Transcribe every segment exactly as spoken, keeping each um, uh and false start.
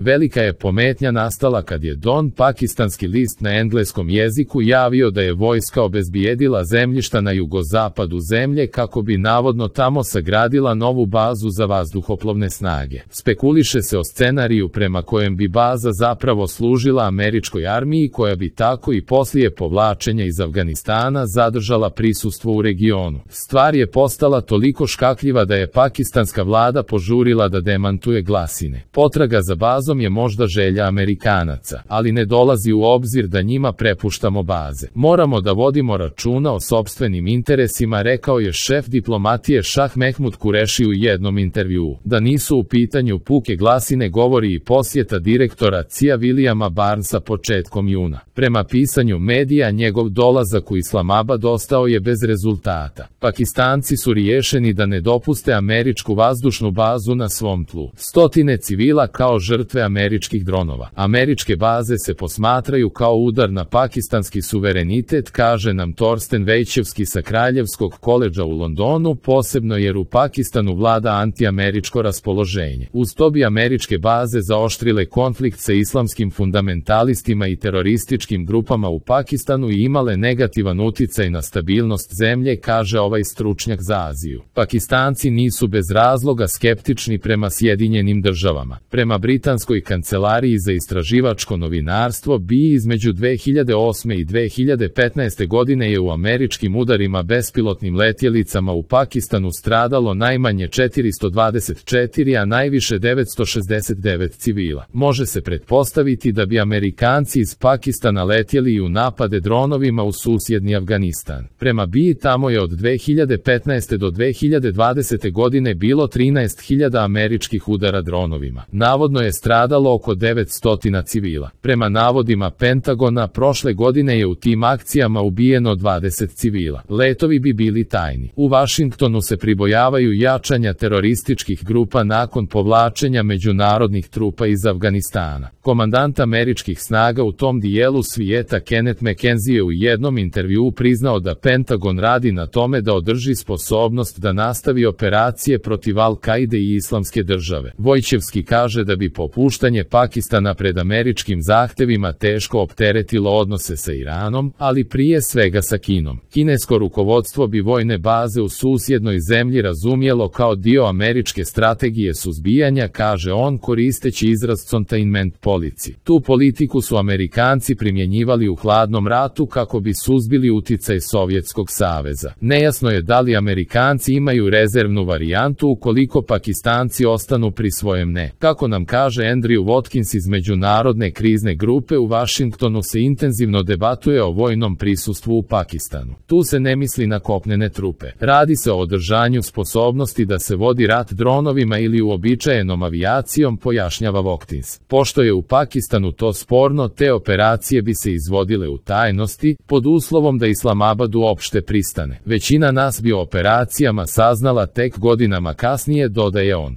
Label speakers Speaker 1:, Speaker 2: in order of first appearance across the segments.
Speaker 1: Velika je pometnja nastala kad je Don, pakistanski list na engleskom jeziku, javio da je vojska obezbijedila zemljišta na jugozapadu zemlje kako bi navodno tamo sagradila novu bazu za vazduhoplovne snage. Spekuliše se o scenariju prema kojem bi baza zapravo služila američkoj armiji koja bi tako i poslije povlačenja iz Afganistana zadržala prisustvo u regionu. Stvar je postala toliko škakljiva da je pakistanska vlada požurila da demantuje glasine. Potraga za bazom je možda želja Amerikanaca, ali ne dolazi u obzir da njima prepuštamo baze. Moramo da vodimo računa o sopstvenim interesima, rekao je šef diplomatije Šah Mehmud Kureši u jednom intervjuu. Da nisu u pitanju puke glasine govori i posjeta direktora C I A Williama Barnesa početkom juna. Prema pisanju medija, njegov dolazak u Islamabad ostao je bez rezultata. Pakistanci su riješeni da ne dopuste američku vazdušnu bazu na svom tlu. Stotine civila kao žrtve američkih dronova. Američke baze se posmatraju kao udar na pakistanski suverenitet, kaže nam Torsten Vejčevski sa Kraljevskog koledža u Londonu, posebno jer u Pakistanu vlada antiameričko raspoloženje. Uz to bi američke baze zaoštrile konflikt sa islamskim fundamentalistima i terorističkim grupama u Pakistanu i imale negativan uticaj na stabilnost zemlje, kaže ovaj stručnjak za Aziju. Pakistanci nisu bez razloga skeptični prema Sjedinjenim državama. Prema britanskoj kancelariji za istraživačko novinarstvo, B I između dve hiljade osme i dve hiljade petnaeste godine je u američkim udarima bespilotnim letjelicama u Pakistanu stradalo najmanje četiristo dvadeset četiri, a najviše devetsto šezdeset devet civila. Može se pretpostaviti da bi Amerikanci iz Pakistana letjeli i u napade dronovima u susjedni Afganistan. Prema B I tamo je od dve hiljade petnaeste do dve hiljade dvadesete godine bilo trinaest hiljada američkih udara dronovima. Navodno je stradalo oko devetsto civila. Prema navodima Pentagona, prošle godine je u tim akcijama ubijeno dvadeset civila. Letovi bi bili tajni. U Vašingtonu se pribojavaju jačanja terorističkih grupa nakon povlačenja međunarodnih trupa iz Afganistana. Komandant američkih snaga u tom dijelu svijeta Kenneth McKenzie je u jednom intervjuu priznao da Pentagon radi na tome da održi sposobnost da nastavi operacije protiv Al-Kaide i Islamske države. Vojčevski kaže da bi popuštanje Pakistana pred američkim zahtevima teško opteretilo odnose sa Iranom, ali prije svega sa Kinom. Kinesko rukovodstvo bi vojne baze u susjednoj zemlji razumjelo kao dio američke strategije suzbijanja, kaže on koristeći izraz containment policy. Tu politiku su Amerikanci primjenjivali u hladnom ratu kako bi suzbili uticaj Sovjetskog saveza. Nejasno je da li Amerikanci imaju rezervnu varijantu ukoliko Pakistanci ostanu pri svojem ne. Kako nam kaže Andrew Watkins iz Međunarodne krizne grupe u Vašingtonu, se intenzivno debatuje o vojnom prisustvu u Pakistanu. Tu se ne misli na kopnene trupe. Radi se o održanju sposobnosti da se vodi rat dronovima ili uobičajenom avijacijom, pojašnjava Watkins. Pošto je u Pakistanu to sporno, te operacije bi se izvodile u tajnosti, pod uslovom da Islamabad uopšte pristane. Većina nas bi o operacijama saznala tek godinama kasnije, dodaje on.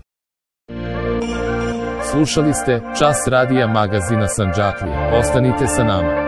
Speaker 1: Slušali ste Čas radija magazina Sandžaklija. Ostanite sa nama.